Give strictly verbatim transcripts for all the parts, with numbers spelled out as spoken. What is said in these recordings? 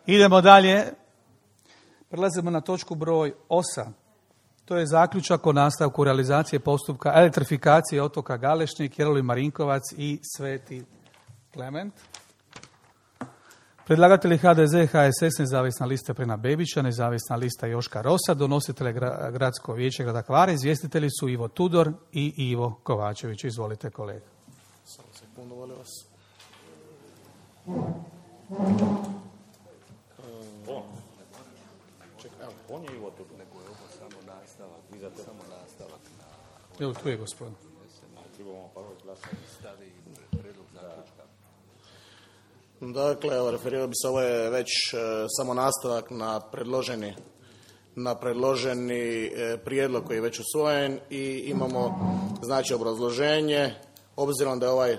Idemo dalje. Prelazimo na točku broj osam. To je zaključak o nastavku realizacije postupka elektrifikacije otoka Galešnik, Jeroli Marinkovac i Sveti Klement. Predlagatelji H D Z, H S S, nezavisna lista Prena Bebića, nezavisna lista Joška Rosa, donositelje Gradsko vijeće grada Hvara, izvjestitelji su Ivo Tudor i Ivo Kovačević. Izvolite, kolega. Samo sekundu, molim vas. Čekaj, evo, on je Ivo Tudor. Nego je ovo samo nastavak. Vi zato samo nastavak. Evo, tu je gospodin. Trebamo prvo glasati stavi predlog zaključka. Dakle, evo, referirao bi se, ovo je već e, samo nastavak na predloženi, na predloženi e, prijedlog koji je već usvojen i imamo, znači, obrazloženje. Obzirom da je ovaj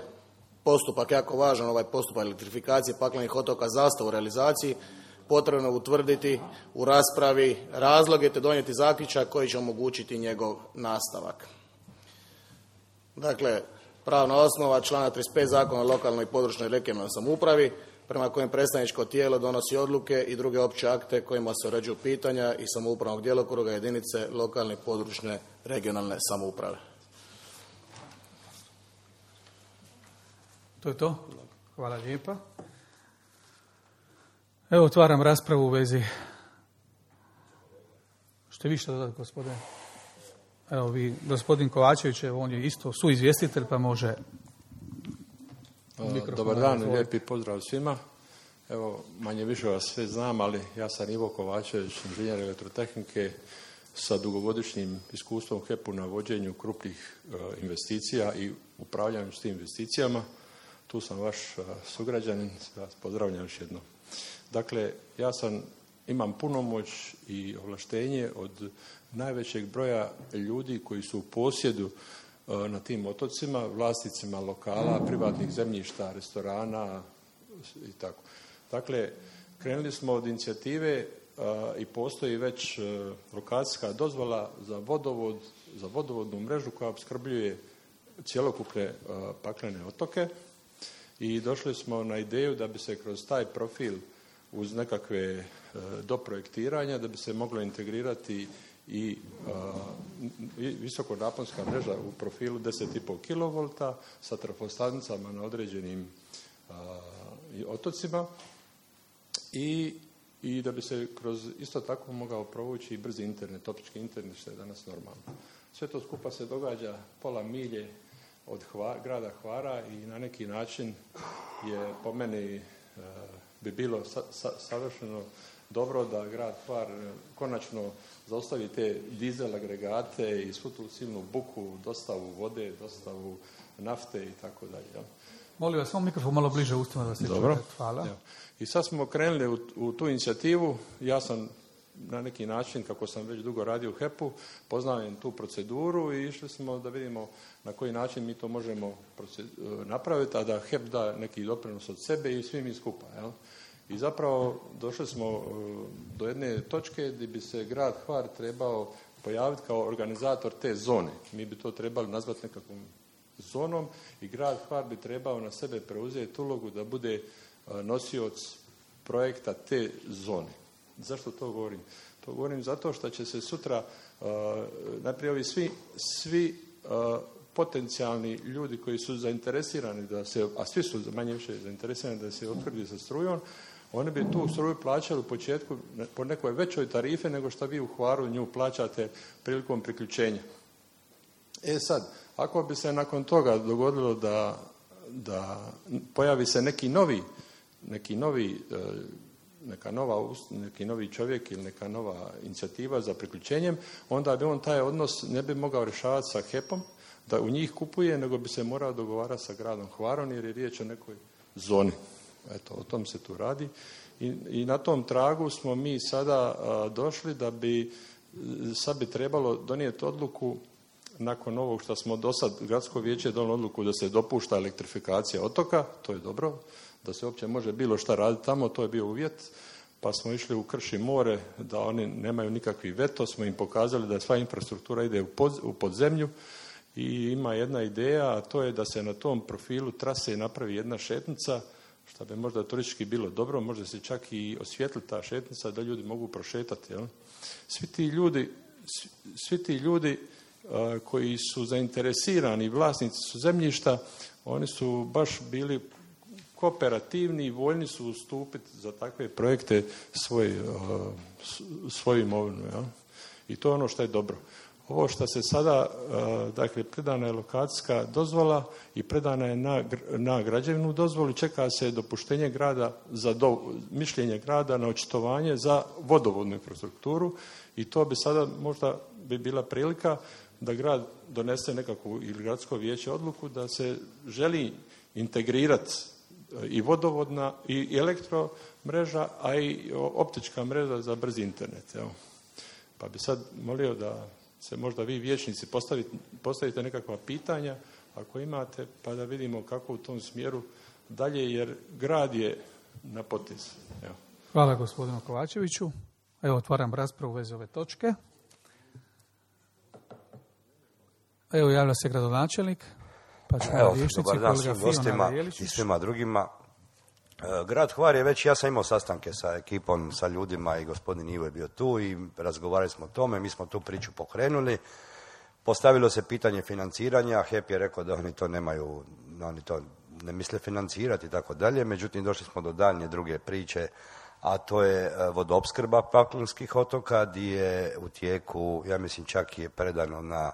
postupak jako važan, ovaj postupak elektrifikacije paklenih otoka zastao u realizaciji, potrebno utvrditi u raspravi razloge te donijeti zaključak koji će omogućiti njegov nastavak. Dakle, pravna osnova, članak trideset pet Zakona o lokalnoj i područnoj regionalnoj samoupravi, prema kojem predstavničko tijelo donosi odluke i druge opće akte kojima se uređuju pitanja i samoupravnog djelokruga jedinice lokalne i područne regionalne samouprave. To je to. Hvala lijepa. Evo, otvaram raspravu u vezi. Što vi što dodati, gospodine? Evo vi, gospodin Kovačević, on je isto suizvjestitelj, pa može... Dobar dan, lijepi pozdrav svima. Evo, manje više vas sve znam, ali ja sam Ivo Kovačević, inženjer elektrotehnike sa dugogodišnjim iskustvom u H E P-u na vođenju krupnih uh, investicija i upravljanju s tim investicijama. Tu sam vaš uh, sugrađanin, vas pozdravljam još jednom. Dakle, ja sam, imam punomoć i ovlaštenje od najvećeg broja ljudi koji su u posjedu na tim otocima, vlasnicima lokala, privatnih zemljišta, restorana i tako. Dakle, krenuli smo od inicijative a, i postoji već a, lokacijska dozvola za vodovod, za vodovodnu mrežu koja opskrbljuje cjelokupne a, paklene otoke i došli smo na ideju da bi se kroz taj profil uz nekakve a, doprojektiranja da bi se moglo integrirati i a, visokonaponska mreža u profilu deset i pol kilovolta sa trafostanicama na određenim a, otocima i, i da bi se kroz isto tako mogao provući i brzi internet, optički internet, što je danas normalno. Sve to skupa se događa pola milje od Hvar, grada Hvara i na neki način je po meni a, bi bilo sa, sa, savršeno dobro da grad Hvar konačno zaustavi te dizel agregate i svu tu silnu buku, dostavu vode, dostavu nafte i tako dalje. Molim vas, samo mikrofon malo bliže ustima da se Dobro. čuje. Hvala. Ja. I sad smo krenuli u, u tu inicijativu. Ja sam na neki način, kako sam već dugo radio u H E P-u, poznajem tu proceduru i išli smo da vidimo na koji način mi to možemo napraviti, a da H E P da neki doprinos od sebe i svi mi skupa. Jel? I zapravo došli smo do jedne točke gdje bi se grad Hvar trebao pojaviti kao organizator te zone. Mi bi to trebali nazvati nekakvom zonom i grad Hvar bi trebao na sebe preuzeti ulogu da bude nosioc projekta te zone. Zašto to govorim? To govorim zato što će se sutra najprije ovi svi, svi potencijalni ljudi koji su zainteresirani da se, a svi su manje više zainteresirani da se opskrbi sa strujom, oni bi tu struju plaćali u početku po nekoj većoj tarife nego što vi u Hvaru nju plaćate prilikom priključenja. E sad, ako bi se nakon toga dogodilo da, da pojavi se neki novi, neki novi, neka nova, neki novi čovjek ili neka nova inicijativa za priključenjem, onda bi on taj odnos ne bi mogao rješavati sa H E P-om, da u njih kupuje, nego bi se morao dogovarati sa gradom Hvarom jer je riječ o nekoj zoni. Eto, o tom se tu radi. I, i na tom tragu smo mi sada a, došli da bi, sad bi trebalo donijeti odluku nakon ovog što smo do sad, gradsko vijeće je donijelo odluku da se dopušta elektrifikacija otoka, to je dobro, da se uopće može bilo šta raditi tamo, to je bio uvjet, pa smo išli u Krš i more, da oni nemaju nikakvi veto, smo im pokazali da sva infrastruktura ide u, pod, u podzemlju i ima jedna ideja, a to je da se na tom profilu trase napravi jedna šetnica što bi možda turistički bilo dobro, možda se čak i osvijetli ta šetnica da ljudi mogu prošetati. Jel? Svi ti ljudi, svi ti ljudi a, koji su zainteresirani, vlasnici su zemljišta, oni su baš bili kooperativni i voljni su ustupiti za takve projekte svoj, a, svoju imovinu. Jel? I to je ono što je dobro. Ovo što se sada, dakle, predana je lokacijska dozvola i predana je na, na građevnu dozvolu, čeka se dopuštenje grada, za do, mišljenje grada na očitovanje za vodovodnu infrastrukturu i to bi sada možda bi bila prilika da grad donese nekakvu ili gradsko vijeće odluku da se želi integrirati i vodovodna i elektromreža, a i optička mreža za brzi internet. Evo. Pa bi sad molio da se možda vi vijećnici postavite, postavite nekakva pitanja ako imate, pa da vidimo kako u tom smjeru dalje, jer grad je na potezu. Evo. Hvala gospodinu Kovačeviću. Evo, otvaram raspravu u vezi ove točke. Evo, javlja se gradonačelnik. Pa ćemo Evo, vijećnici, dobar dan svim kolega gostima Fiona i svima drugima. Grad Hvar je već, ja sam imao sastanke sa ekipom, sa ljudima i gospodin Ivo je bio tu i razgovarali smo o tome, mi smo tu priču pokrenuli. Postavilo se pitanje financiranja, H E P je rekao da oni to nemaju, oni to ne misle financirati i tako dalje, međutim došli smo do daljnje druge priče, a to je vodoopskrba Paklenskih otoka, gdje je u tijeku, ja mislim čak je predano na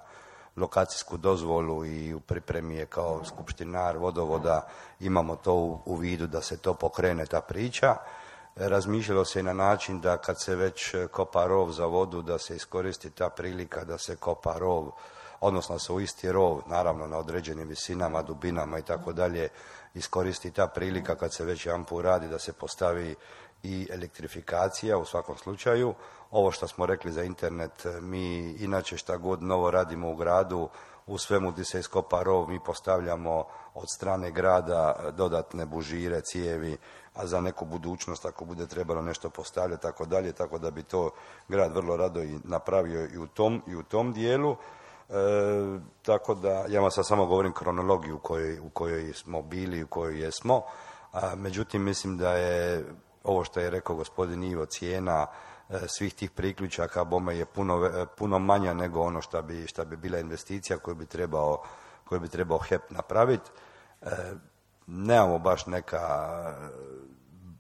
lokacijsku dozvolu i u pripremi je kao skupštinar vodovoda, imamo to u, u vidu da se to pokrene ta priča. Razmišljalo se i na način da kad se već kopa rov za vodu, da se iskoristi ta prilika da se kopa rov, odnosno se u isti rov, naravno na određenim visinama, dubinama i tako dalje, iskoristi ta prilika kad se već jedan put radi da se postavi i elektrifikacija u svakom slučaju. Ovo što smo rekli za internet, mi inače šta god novo radimo u gradu, u svemu gdje se iskopa rov, mi postavljamo od strane grada dodatne bužire, cijevi, a za neku budućnost ako bude trebalo nešto postavljati, tako dalje, tako da bi to grad vrlo rado i napravio i u tom, i u tom dijelu. E, tako da, ja vam sad samo govorim kronologiju u kojoj, u kojoj smo bili, u kojoj jesmo, a, međutim mislim da je ovo što je rekao gospodin Ivo, cijena svih tih priključaka bome je puno, puno manja nego ono što bi, što bi bila investicija koju bi trebao, koju bi trebao H E P napraviti. E, nemamo baš neka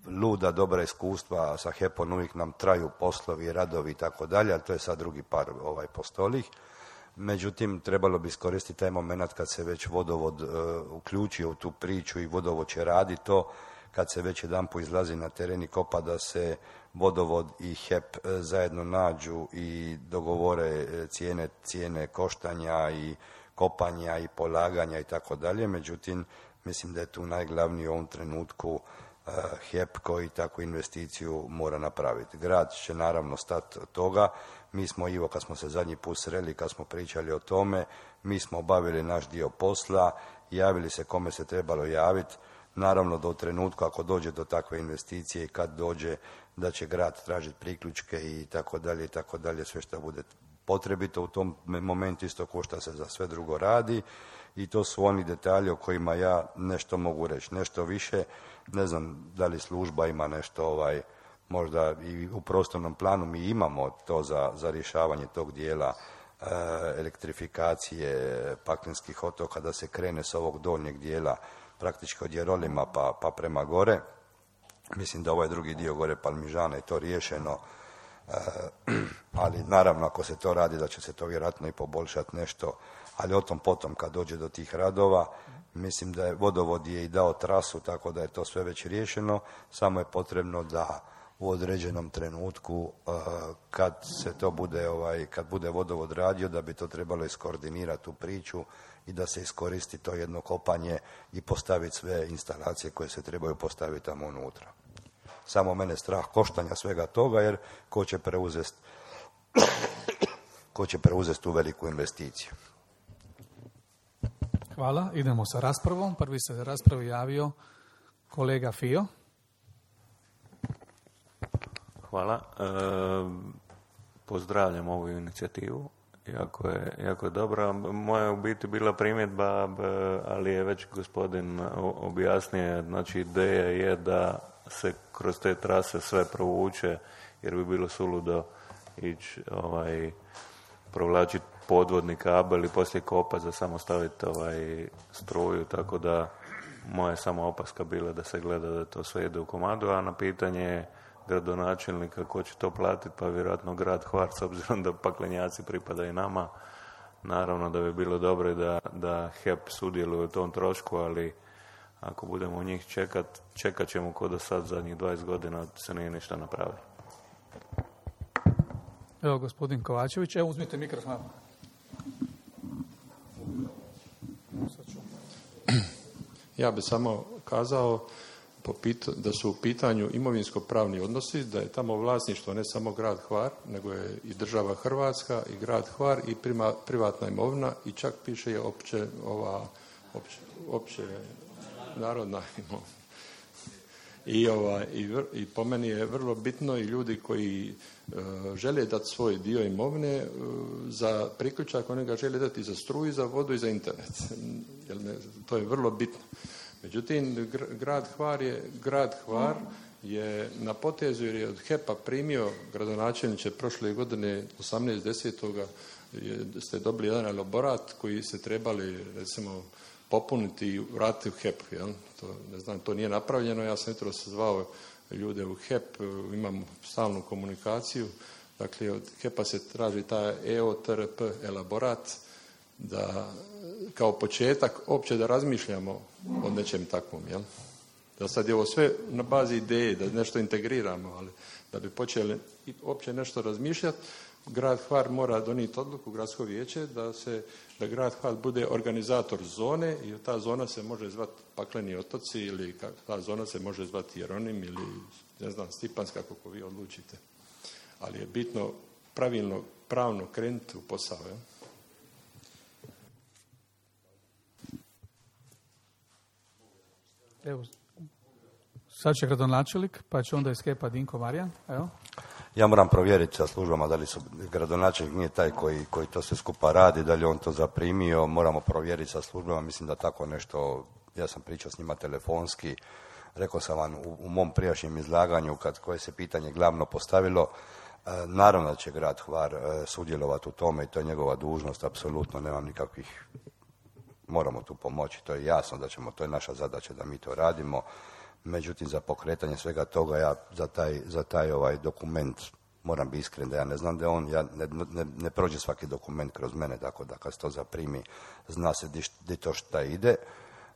luda dobra iskustva sa H E P-om, uvijek nam traju poslovi, radovi i tako dalje, ali to je sad drugi par ovaj, postolih. Međutim, trebalo bi iskoristiti taj moment kad se već vodovod uh, uključio u tu priču i vodovod će raditi to, kad se već jedan put izlazi na teren i kopa, da se vodovod i H E P zajedno nađu i dogovore cijene, cijene koštanja i kopanja i polaganja i tako dalje. Međutim, mislim da je tu najglavniji u ovom trenutku H E P koji takvu investiciju mora napraviti. Grad će naravno stati od toga. Mi smo, Ivo, kad smo se zadnji put sreli, kad smo pričali o tome, mi smo obavili naš dio posla, javili se kome se trebalo javiti. Naravno, do trenutku ako dođe do takve investicije i kad dođe da će grad tražiti priključke i tako dalje i tako dalje, sve što bude potrebito u tom momentu, isto ko što se za sve drugo radi. I to su oni detalji o kojima ja nešto mogu reći. Nešto više, ne znam da li služba ima nešto, ovaj, možda i u prostornom planu mi imamo to za, za rješavanje tog dijela e, elektrifikacije Paklenskih otoka, da se krene s ovog donjeg dijela praktički od Jerolima pa, pa prema gore. Mislim da ovaj drugi dio gore Palmižana je to riješeno, e, ali naravno ako se to radi da će se to vjerojatno i poboljšati nešto, ali o tom potom kad dođe do tih radova, mislim da je vodovod je i dao trasu, tako da je to sve već riješeno, samo je potrebno da u određenom trenutku e, kad se to bude, ovaj, kad bude vodovod radio, da bi to trebalo iskoordinirati u priču i da se iskoristi to jedno kopanje i postaviti sve instalacije koje se trebaju postaviti tamo unutra. Samo mene strah koštanja svega toga, jer ko će preuzeti ko će preuzeti tu veliku investiciju. Hvala. Idemo sa raspravom. Prvi se za raspravu javio kolega Fio. Hvala. E, pozdravljam ovu inicijativu jako je, jako je dobra. Moja je u biti bila primjedba, ali je već gospodin objasnio, znači ideja je da se kroz te trase sve provuče, jer bi bilo suludo ići ovaj, provlačiti podvodni kabel i poslije kopati za samo staviti ovaj, struju, tako da moja je samo opaska bila da se gleda da to sve ide u komadu, a na pitanje gradonačelnika ko će to platiti, pa vjerojatno grad Hvar, s obzirom da paklenjaci pripadaju nama. Naravno da bi bilo dobro da, da H E P sudjeluje u tom trošku, ali ako budemo u njih čekat, čekat ćemo ko do sad zadnjih dvadeset godina se nije ništa napravilo. Evo gospodin Kovačević, evo uzmite mikrofon. Ja bih samo kazao po pita, da su u pitanju imovinsko-pravni odnosi, da je tamo vlasništvo ne samo grad Hvar, nego je i država Hrvatska i grad Hvar i prima, privatna imovina i čak piše je opće, ova, opće, opće narodna imovina. I, ova, i, vr, I po meni je vrlo bitno i ljudi koji e, žele dati svoj dio imovine e, za priključak, oni ga žele dati za struju, za vodu i za internet. Jer ne, to je vrlo bitno. Međutim, grad Hvar je, grad Hvar je na potezu jer je od H E P-a primio gradonačelniče prošle godine osamnaestog desetog ste dobili jedan elaborat koji se trebali recimo popuniti i vratiti u H E P. Jel? To, ne znam, to nije napravljeno. Ja sam jutro sazvao ljude u H E P, imam stalnu komunikaciju. Dakle, od H E P-a se traži taj E O T R P elaborat da kao početak opće da razmišljamo o nečem takvom. Jel? Da sad je ovo sve na bazi ideje, da nešto integriramo, ali da bi počeli opće nešto razmišljati, grad Hvar mora donijeti odluku, gradsko vijeće, da se da grad Hvar bude organizator zone i ta zona se može zvati Pakleni otoci ili ta zona se može zvati Jeronim ili ne znam, Stipanska, kako vi odlučite. Ali je bitno pravilno, pravno krenuti u posao. Ja? Evo, sad će gradonačelnik, pa će onda iz H E P-a Dinko Marijan. Evo. Ja moram provjeriti sa službama da li su gradonačelnik nije taj koji, koji to sve skupa radi, da li on to zaprimio, moramo provjeriti sa službama, mislim da tako nešto, ja sam pričao s njima telefonski, rekao sam vam u, u mom prijašnjem izlaganju kad koje se pitanje glavno postavilo, e, naravno da će grad Hvar e, sudjelovati u tome i to je njegova dužnost, apsolutno nemam nikakvih, moramo tu pomoći, to je jasno da ćemo, to je naša zadaća da mi to radimo. Međutim, za pokretanje svega toga, ja za taj, za taj ovaj dokument moram biti iskren da ja ne znam da on, ja ne, ne, ne prođe svaki dokument kroz mene, tako da kad se to zaprimi, zna se di, di to šta ide.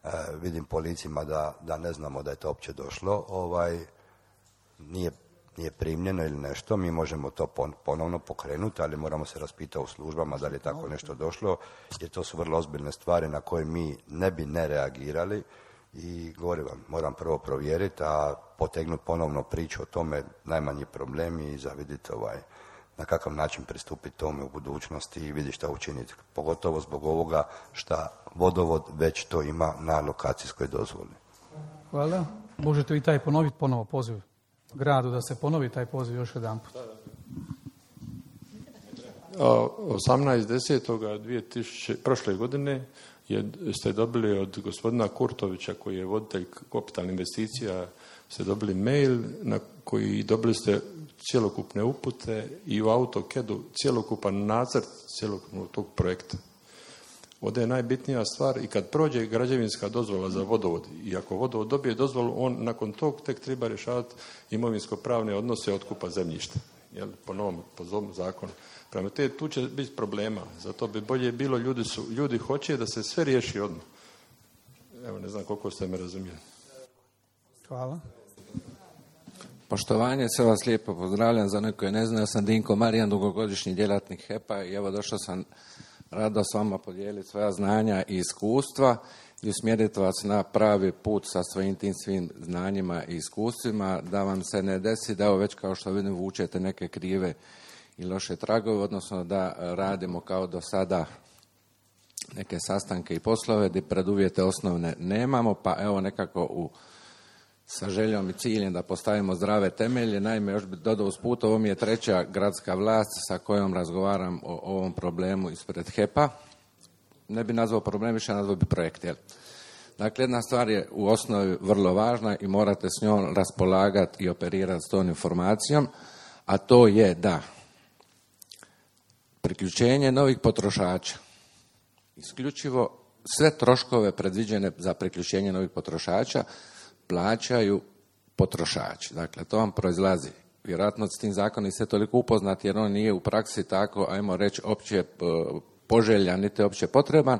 E, vidim po licima da, da ne znamo da je to uopće došlo, ovaj, nije, nije primljeno ili nešto, mi možemo to pon, ponovno pokrenuti, ali moramo se raspitati u službama da li je tako nešto došlo, jer to su vrlo ozbiljne stvari na koje mi ne bi ne reagirali. I govorim vam, moram prvo provjeriti, a potegnuti ponovno priču o tome najmanji problemi i zavidjeti ovaj, na kakav način pristupiti tome u budućnosti i vidjeti šta učiniti. Pogotovo zbog ovoga šta vodovod već to ima na lokacijskoj dozvoli. Hvala. Možete vi taj ponoviti ponovo poziv gradu, da se ponovi taj poziv još jedan put. osamnaestog desetog prošle godine je, ste dobili od gospodina Kurtovića, koji je voditelj kapitalnih investicija, ste dobili mail na koji dobili ste cjelokupne upute i u AutoCAD-u cjelokupan nacrt cjelokupnog tog projekta. Ovdje je najbitnija stvar i kad prođe građevinska dozvola za vodovod i ako vodovod dobije dozvolu, on nakon tog tek treba rješavati imovinsko-pravne odnose otkupa zemljišta. Jel, po novom, po ovom zakonu. Prema te, tu će biti problema. Zato bi bolje bilo, ljudi, su, ljudi hoće da se sve riješi odmah. Evo, ne znam koliko ste me razumijeli. Hvala. Poštovanje, sve vas lijepo pozdravljam. Za neko je ne zna, ja sam Dinko Marijan, dugogodišnji djelatnik H E P-a i evo došao sam rado s vama podijeliti svoja znanja i iskustva i usmjeriti vas na pravi put sa svojim tim svim znanjima i iskustvima, da vam se ne desi da evo već kao što vidim vučete neke krive i loše tragove, odnosno da radimo kao do sada neke sastanke i poslove gdje preduvjete osnovne nemamo, pa evo nekako u sa željom i ciljem da postavimo zdrave temelje. Naime, još bi dodao usput, ovo mi je treća gradska vlast sa kojom razgovaram o ovom problemu ispred H E P-a. Ne bi nazvao problem, više nazvao bi projekt. Jel? Dakle, jedna stvar je u osnovi vrlo važna i morate s njom raspolagati i operirati s tom informacijom, a to je da priključenje novih potrošača, isključivo sve troškove predviđene za priključenje novih potrošača plaćaju potrošači. Dakle, to vam proizlazi. Vjerojatno s tim zakonom niste toliko upoznati jer on nije u praksi tako, ajmo reći, opće poželjan, niti opće potreban.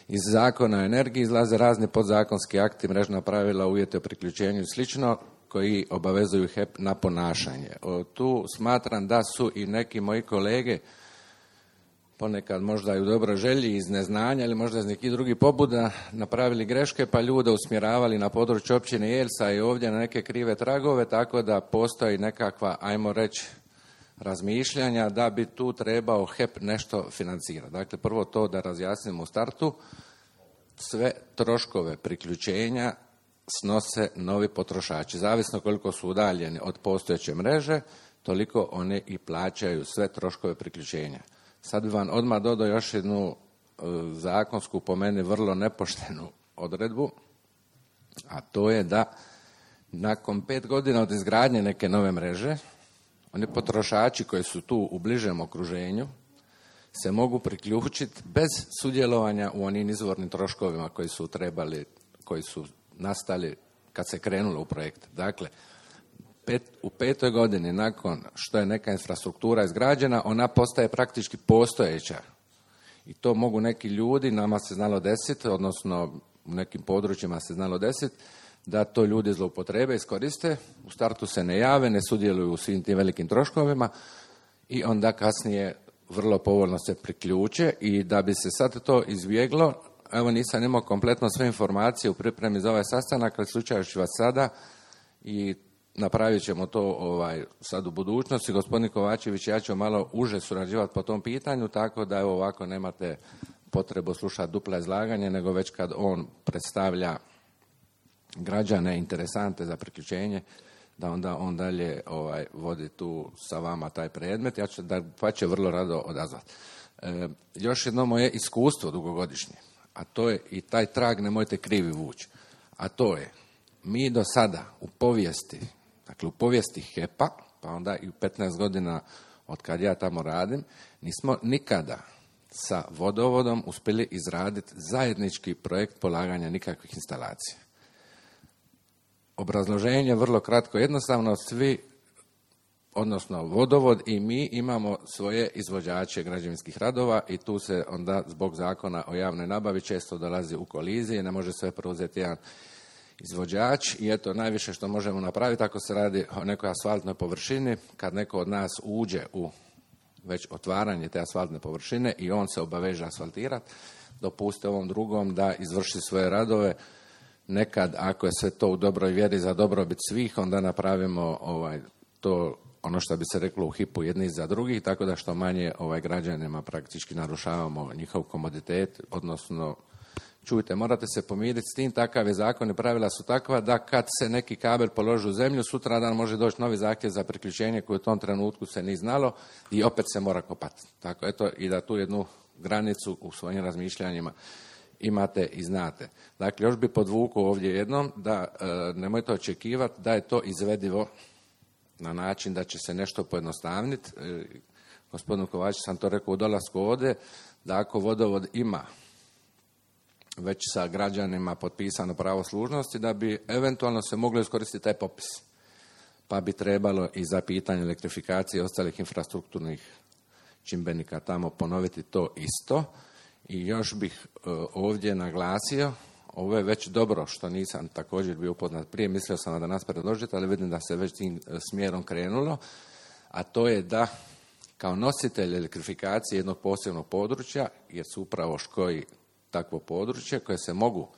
Iz zakona o energiji izlaze razni podzakonski akti, mrežna pravila, uvjeti o priključenju i slično, koji obavezuju H E P na ponašanje. O, tu smatram da su i neki moji kolege ponekad možda i u dobroj želji iz neznanja ili možda iz nekih drugih pobuda napravili greške pa ljude usmjeravali na područje općine Jelsa i ovdje na neke krive tragove, tako da postoji nekakva, ajmo reći, razmišljanja da bi tu trebao H E P nešto financirati. Dakle, prvo to da razjasnimo u startu, sve troškove priključenja snose novi potrošači. Zavisno koliko su udaljeni od postojeće mreže, toliko oni i plaćaju sve troškove priključenja. Sad bi vam odmah dodao još jednu e, zakonsku, po meni vrlo nepoštenu odredbu, a to je da nakon pet godina od izgradnje neke nove mreže, oni potrošači koji su tu u bližem okruženju se mogu priključiti bez sudjelovanja u onim izvornim troškovima koji su trebali, koji su nastali kad se krenulo u projekt. Dakle, pet, u petoj godini nakon što je neka infrastruktura izgrađena, ona postaje praktički postojeća. I to mogu neki ljudi, nama se znalo desiti, odnosno u nekim područjima se znalo desiti, da to ljudi zloupotrebe, iskoriste, u startu se ne jave, ne sudjeluju u svim tim velikim troškovima i onda kasnije vrlo povoljno se priključe i da bi se sad to izbjeglo, evo nisam imao kompletno sve informacije u pripremi za ovaj sastanak, ali slučajući vas sada i napravit ćemo to ovaj, sad u budućnosti. Gospodin Kovačević i ja ću malo uže surađivati po tom pitanju, tako da evo ovako nemate potrebu slušati dupla izlaganje, nego već kad on predstavlja građane interesante za priključenje, da onda on dalje ovaj, vodi tu sa vama taj predmet. Ja ću da pa će vrlo rado odazvati. E, još jedno moje iskustvo dugogodišnje, a to je i taj trag nemojte krivi vući, a to je mi do sada u povijesti, dakle u povijesti H E P-a, pa onda i u petnaest godina od kad ja tamo radim, nismo nikada sa vodovodom uspjeli izraditi zajednički projekt polaganja nikakvih instalacija. Obrazloženje vrlo kratko, jednostavno svi, odnosno vodovod i mi imamo svoje izvođače građevinskih radova i tu se onda zbog zakona o javnoj nabavi često dolazi u kolizije, ne može sve preuzeti jedan izvođač i eto najviše što možemo napraviti ako se radi o nekoj asfaltnoj površini, kad neko od nas uđe u već otvaranje te asfaltne površine i on se obaveže asfaltirati, dopuste ovom drugom da izvrši svoje radove. Nekad, ako je sve to u dobroj vjeri za dobrobit svih, onda napravimo ovaj, to, ono što bi se reklo u hipu jedni za drugih, tako da što manje ovaj, građanima praktički narušavamo njihov komoditet, odnosno, čujte, morate se pomiriti s tim, takav je zakon i pravila su takva da kad se neki kabel položi u zemlju, sutradan može doći novi zahtjev za priključenje koji u tom trenutku se nije znalo i opet se mora kopati. Tako, eto, i da tu jednu granicu u svojim razmišljanjima imate i znate. Dakle, još bi podvukao ovdje jednom da e, nemojte očekivati da je to izvedivo na način da će se nešto pojednostavniti. E, gospodinu Kovačiću sam to rekao u dolasku ovdje, da ako vodovod ima već sa građanima potpisano pravo služnosti, da bi eventualno se moglo iskoristiti taj popis. Pa bi trebalo i za pitanje elektrifikacije i ostalih infrastrukturnih čimbenika tamo ponoviti to isto. I još bih uh, ovdje naglasio, ovo je već dobro što nisam također bio upoznat prije, mislio sam da nas predložite, ali vidim da se već tim uh, smjerom krenulo, a to je da kao nositelj elektrifikacije jednog posebnog područja, jer su upravo škoji takvo područje koje se mogu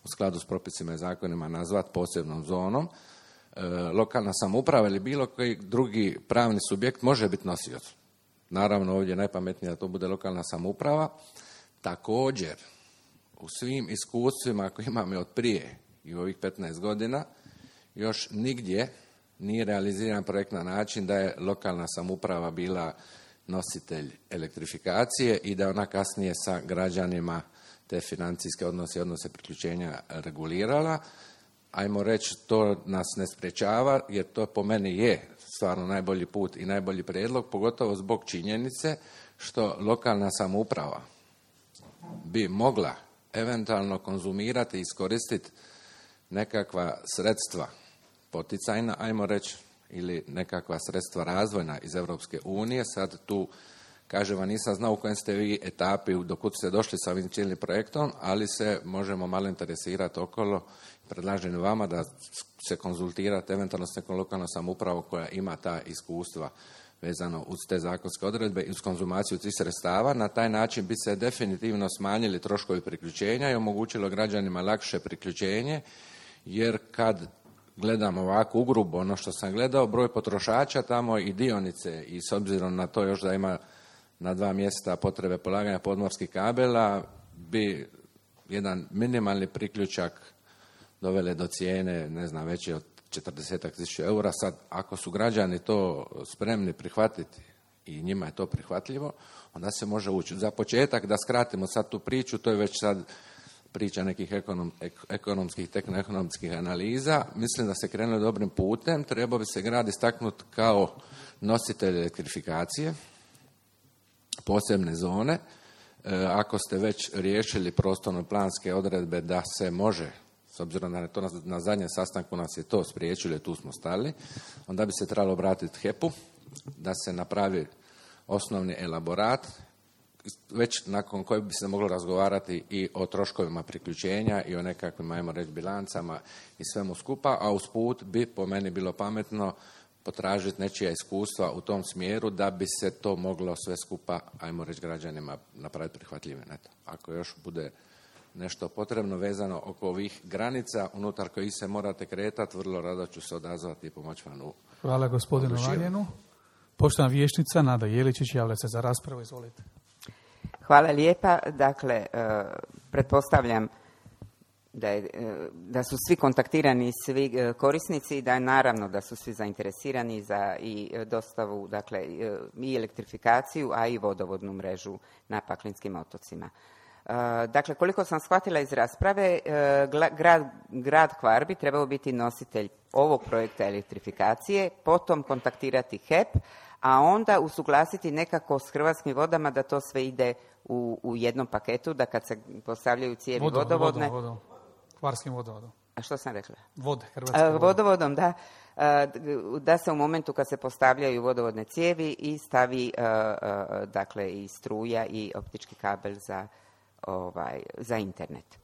u skladu s propisima i zakonima nazvati posebnom zonom, uh, lokalna samouprava ili bilo koji drugi pravni subjekt može biti nosioc. Naravno ovdje je najpametnije da to bude lokalna samouprava. Također, u svim iskustvima koje imamo od prije i u ovih petnaest godina, još nigdje nije realiziran projekt na način da je lokalna samouprava bila nositelj elektrifikacije i da ona kasnije sa građanima te financijske odnose i odnose priključenja regulirala. Ajmo reći, to nas ne sprečava, jer to po meni je stvarno najbolji put i najbolji prijedlog, pogotovo zbog činjenice što lokalna samouprava bi mogla eventualno konzumirati i iskoristiti nekakva sredstva poticajna, ajmo reći, ili nekakva sredstva razvojna iz Europske unije. Sad tu, kažem vam, nisam znao u kojem ste vi etapi, dokud ste došli sa ovim cijelim projektom, ali se možemo malo interesirati okolo. Predlažem vama da se konzultirate eventualno s nekom lokalnom samoupravom koja ima ta iskustva vezano uz te zakonske odredbe i uz konzumaciju tih sredstava. Na taj način bi se definitivno smanjili troškovi priključenja i omogućilo građanima lakše priključenje, jer kad gledam ovako ugrubo ono što sam gledao, broj potrošača tamo i dionice, i s obzirom na to još da ima na dva mjesta potrebe polaganja podmorskih kabela, bi jedan minimalni priključak dovele do cijene, ne znam, veće od četrdeset tisuća eura. Sad, ako su građani to spremni prihvatiti i njima je to prihvatljivo, onda se može ući. Za početak, da skratimo sad tu priču, to je već sad priča nekih ekonom, ekonomskih, tehnoekonomskih analiza. Mislim da se krenulo dobrim putem. Trebao bi se grad istaknuti kao nositelj elektrifikacije, posebne zone. E, ako ste već riješili prostorno-planske odredbe da se može, s obzirom da je to na, na zadnjem sastanku nas je to spriječilo i tu smo stali, onda bi se trebalo obratiti H E P-u da se napravi osnovni elaborat, već nakon kojeg bi se moglo razgovarati i o troškovima priključenja i o nekakvim, ajmo reći, bilancama i svemu skupa, a usput bi po meni bilo pametno potražiti nečija iskustva u tom smjeru da bi se to moglo sve skupa, ajmo reći, građanima napraviti prihvatljivim. Eto, ako još bude nešto potrebno vezano oko ovih granica unutar kojih se morate kretati, vrlo rado ću se odazvati i pomoći vam u... Hvala gospodinu Valjenu. Poštovana vijećnica Nada Jeličić javlja se za raspravu, izvolite. Hvala lijepa. Dakle, pretpostavljam da, je, da su svi kontaktirani, svi korisnici i da je naravno da su svi zainteresirani za i dostavu, dakle, i elektrifikaciju, a i vodovodnu mrežu na Paklinskim otocima. Dakle, koliko sam shvatila iz rasprave, grad, grad Hvar bi trebao biti nositelj ovog projekta elektrifikacije, potom kontaktirati H E P, a onda usuglasiti nekako s Hrvatskim vodama da to sve ide u, u jednom paketu, da kad se postavljaju cijevi Vodo, vodovodne... Vodom, vodom. Hvarskim vodovodom. A što sam rekla? Vode, Hrvatske vode. Vodovodom, da. Da se u momentu kad se postavljaju vodovodne cijevi i stavi dakle i struja i optički kabel za, ovaj, za internet.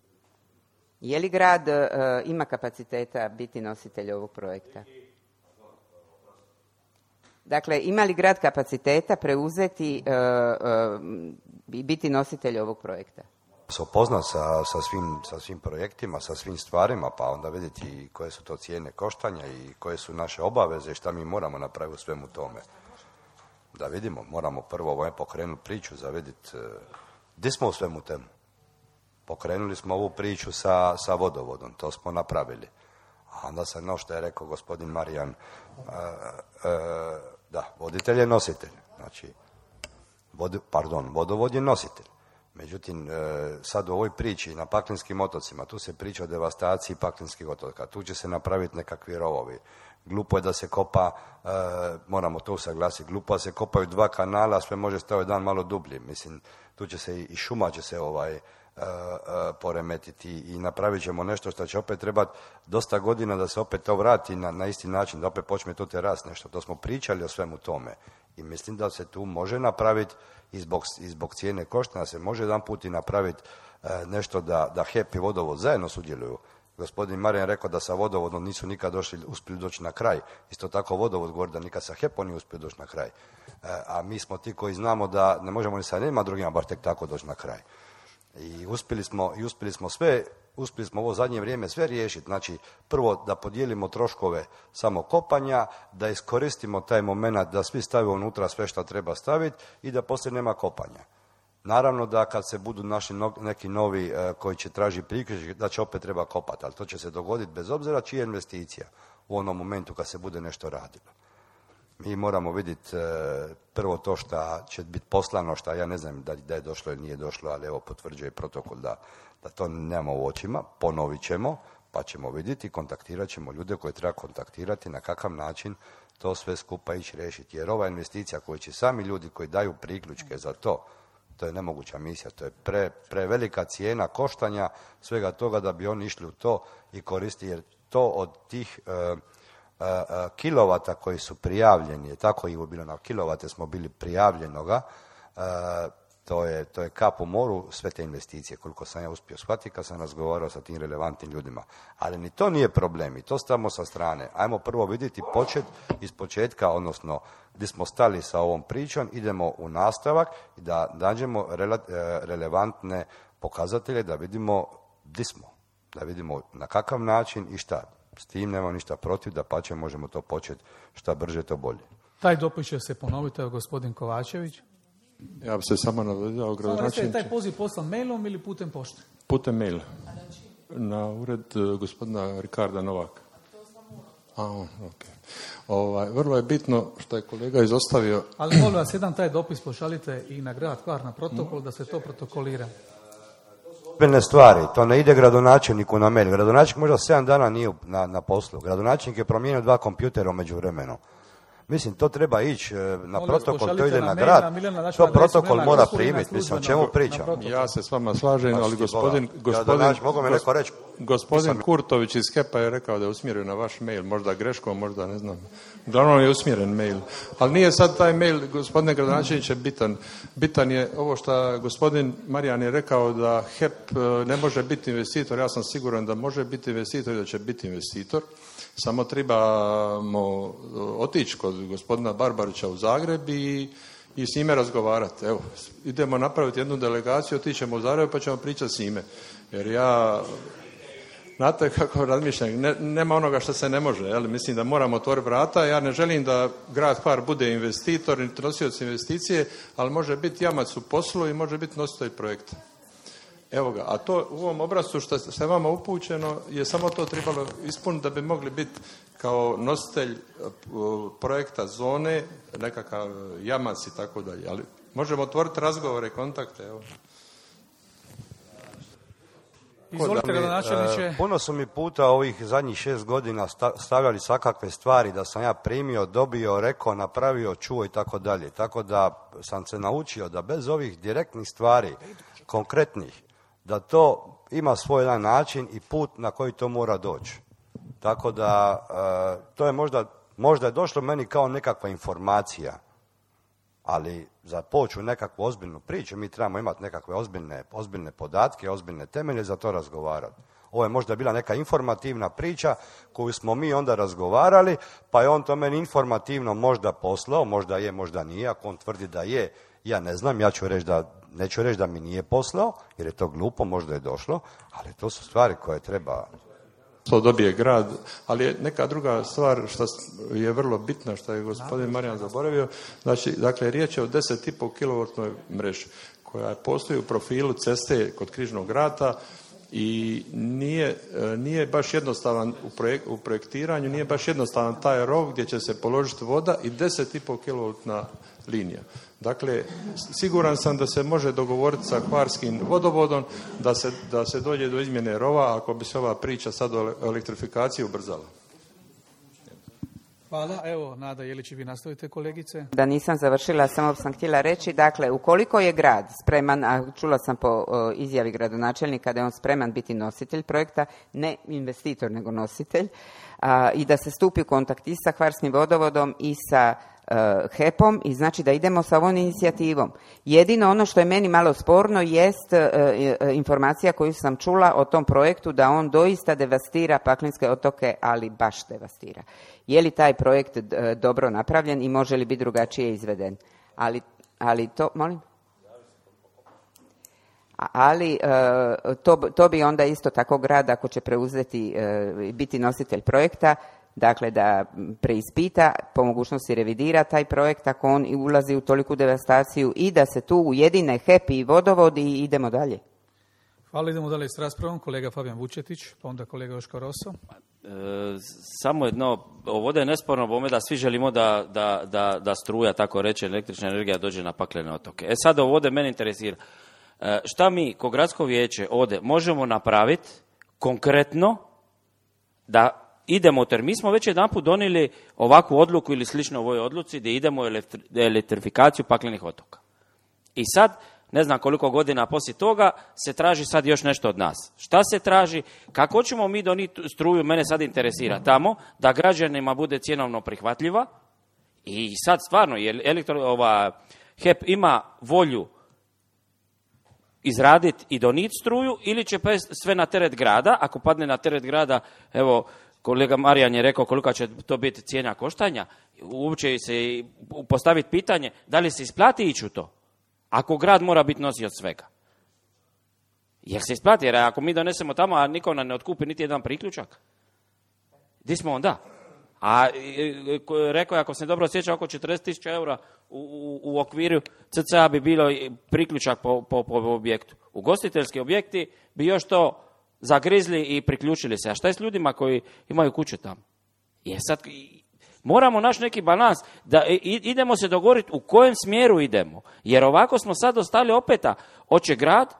Je li grad ima kapaciteta biti nositelj ovog projekta? Dakle, ima li grad kapaciteta preuzeti i uh, uh, biti nositelj ovog projekta? Se upoznat sa, sa, svim, sa svim projektima, sa svim stvarima, pa onda vidjeti koje su to cijene koštanja i koje su naše obaveze i šta mi moramo napraviti u svemu tome. Da vidimo, moramo prvo ovaj pokrenuti priču za vidjeti uh, gdje smo u svemu temu. Pokrenuli smo ovu priču sa, sa vodovodom, to smo napravili. A onda sam, no što je rekao gospodin Marijan, uh, uh, da, voditelj je nositelj. Znači, vod, pardon, vodovod je nositelj. Međutim, uh, sad u ovoj priči na Paklinskim otocima, tu se priča o devastaciji Paklinskih otoka, tu će se napraviti nekakvi rovovi. Glupo je da se kopa, uh, moramo to usaglasiti, glupo da se kopaju dva kanala, sve može staviti dan malo dublji. Mislim, tu će se i, i šuma će se ovaj... Uh, uh, poremetiti i napravit ćemo nešto što će opet trebati dosta godina da se opet to vrati na, na isti način, da opet počne to teras nešto. To smo pričali o svemu tome i mislim da se tu može napraviti i zbog, i zbog cijene koštanja se može jedan put i napraviti uh, nešto da, da H E P i vodovod zajedno sudjeluju. Gospodin Marijan rekao da sa vodovodom nisu nikad došli, uspjeli doći na kraj. Isto tako vodovod govori da nikad sa H E P-om nije uspio doći na kraj. Uh, a mi smo ti koji znamo da ne možemo ni sa nema drugima bar tek tako doći na kraj. I uspjeli smo, i uspjeli smo sve, uspjeli smo ovo zadnje vrijeme sve riješiti. Znači, prvo da podijelimo troškove samo kopanja, da iskoristimo taj moment da svi stavimo unutra sve što treba staviti i da poslije nema kopanja. Naravno da kad se budu naši no, neki novi uh, koji će tražiti priključak, da će opet treba kopati, ali to će se dogoditi bez obzira čija je investicija. u onom momentu kad se bude nešto radilo. Mi moramo vidjeti e, prvo to što će biti poslano, što ja ne znam da, da je došlo ili nije došlo, ali evo potvrđuje protokol da, da to nemamo u očima, ponovit ćemo, pa ćemo vidjeti, kontaktirat ćemo ljude koje treba kontaktirati, na kakav način to sve skupa ići riješiti. Jer ova investicija koju će sami ljudi koji daju priključke za to, to je nemoguća misija, to je pre, prevelika cijena koštanja svega toga da bi oni išli u to i koristiti, jer to od tih e, e, kilovata koji su prijavljeni, tako i bilo na kilovate smo bili prijavljenoga, e, to je, to je kap u moru sve te investicije, koliko sam ja uspio shvatiti kad sam razgovarao sa tim relevantnim ljudima. Ali ni to nije problem i to stavimo sa strane. Ajmo prvo vidjeti počet iz početka, odnosno gdje smo stali sa ovom pričom, idemo u nastavak i da nađemo rele, relevantne pokazatelje, da vidimo gdje smo, da vidimo na kakav način i šta. S tim nema ništa protiv, da pa će možemo to početi šta brže, to bolje. Taj dopis će se ponoviti, evo gospodin Kovačević. Ja bi se samo navedao gradonačelniče. Taj poziv poslan mailom ili putem pošte? Putem maila. Na ured uh, gospodina Rikarda Novaka. A, okay. ovaj, vrlo je bitno što je kolega izostavio. Ali molim vas, jedan taj dopis pošaljite i na grad Hvar na protokol, da se to protokolira. Ozbiljne stvari, to ne ide gradonačelniku na mail. Gradonačelnik možda sedam dana nije na, na poslu. Gradonačelnik je promijenio dva kompjutera u međuvremenu. Mislim, to treba ići na protokol, to ide na grad, to protokol mora primiti, mislim, o čemu pričam? Ja se s vama slažem, ali gospodin, gospodin, gospodin Kurtović iz HEP-a je rekao da je usmjeren na vaš mail, možda greškom, možda ne znam. Uglavnom je usmjeren mail. Ali nije sad taj mail, gospodine gradonačelniče, bitan. Bitan je ovo što gospodin Marijan je rekao da HEP ne može biti investitor, ja sam siguran da može biti investitor i da će biti investitor. Samo trebamo otići kod gospodina Barbarića u Zagreb i, i s njime razgovarati. Evo, idemo napraviti jednu delegaciju, otićemo u Zagreb pa ćemo pričati s njime. Jer ja, znate kako razmišljam, ne, nema onoga što se ne može. Jel? Mislim da moramo otvoriti vrata. Ja ne želim da grad Hvar bude investitor, niti nosioc investicije, ali može biti jamac u poslu i može biti nositelj projekta. Evo ga, a to u ovom obrascu što se vama upućeno je samo to trebalo ispuniti da bi mogli biti kao nositelj projekta zone, nekakav jamac i tako dalje. Ali možemo otvoriti razgovore, kontakte, evo. Izvolite, gradonačelniče. Puno su mi puta ovih zadnjih šest godina stavljali svakakve stvari da sam ja primio, dobio, rekao, napravio, čuo i tako dalje. Tako da sam se naučio da bez ovih direktnih stvari, konkretnih, da to ima svoj jedan način i put na koji to mora doći. Tako da uh, to je možda, možda je došlo meni kao nekakva informacija, ali za poču nekakvu ozbiljnu priču mi trebamo imati nekakve ozbiljne, ozbiljne podatke, ozbiljne temelje za to razgovarati. Ovo je možda bila neka informativna priča koju smo mi onda razgovarali, pa je on to meni informativno možda poslao, možda je, možda nije, ako on tvrdi da je, ja ne znam, ja ću reći da, neću reći da mi nije poslao, jer je to glupo, možda je došlo, ali to su stvari koje treba... To dobije grad, ali je neka druga stvar što je vrlo bitna, što je gospodin Marijan zaboravio, znači, dakle, riječ je o deset i pol kilovoltnoj mreži, koja postoji u profilu ceste kod Križnog rata i nije, nije baš jednostavan u, projek, u projektiranju, nije baš jednostavan taj rov gdje će se položiti voda i deset i pol kilovoltna linija. Dakle, siguran sam da se može dogovoriti sa hvarskim vodovodom da se, da se dođe do izmjene rova ako bi se ova priča sad o elektrifikaciji ubrzala. Hvala. Evo, Nada Jelić, vi nastavite, kolegice. Da nisam završila, samo sam htjela reći, dakle, ukoliko je grad spreman, a čula sam po o, izjavi gradonačelnika da je on spreman biti nositelj projekta, ne investitor, nego nositelj, a, i da se stupi u kontakt i sa hvarskim vodovodom i sa HEP-om i znači da idemo sa ovom inicijativom. Jedino ono što je meni malo sporno jest e, e, informacija koju sam čula o tom projektu da on doista devastira Paklenske otoke, ali baš devastira. Je li taj projekt e, dobro napravljen i može li biti drugačije izveden? Ali, ali to, molim? Ali e, to, to bi onda isto tako grad ako će preuzeti, e, biti nositelj projekta, dakle da preispita, po mogućnosti revidira taj projekt ako on ulazi u toliku devastaciju i da se tu ujedine HEP i vodovod i idemo dalje. Hvala, idemo dalje s raspravom. Kolega Fabijan Vučetić, pa onda kolega Joško Rosso. samo jedno, ovdje je nesporno bome da svi želimo da, da, da, da struja, tako reče, električna energija dođe na paklene otoke. E sad ovdje mene interesira, e, šta mi ko gradsko vijeće ovdje možemo napraviti konkretno da idemo, jer mi smo već jedanput donijeli ovakvu odluku ili slično ovoj odluci da idemo u elektrifikaciju paklenih otoka. I sad, ne znam koliko godina poslije toga, se traži sad još nešto od nas. Šta se traži? Kako ćemo mi donijeti struju, mene sad interesira tamo, da građanima bude cjenovno prihvatljiva i sad stvarno, jer elektro, ova, H E P ima volju izraditi i donijeti struju ili će sve na teret grada, ako padne na teret grada, evo, kolega Marijan je rekao kolika će to biti cijena koštanja, uopće se postaviti pitanje da li se isplati ići u to, ako grad mora biti nosioc svega. Jer se isplati, jer ako mi donesemo tamo, a niko nam ne otkupi niti jedan priključak, di smo onda? A rekao je, ako se dobro sjeća, oko četrdeset tisuća eura u, u, u okviru C C A bi bilo priključak po, po, po objektu. Ugostiteljski objekti bi još to zagrizli i priključili se. A šta je s ljudima koji imaju kuće tamo? Je sad, moramo naći neki balans, da idemo se dogovoriti u kojem smjeru idemo. Jer ovako smo sad ostali opeta, hoće grad,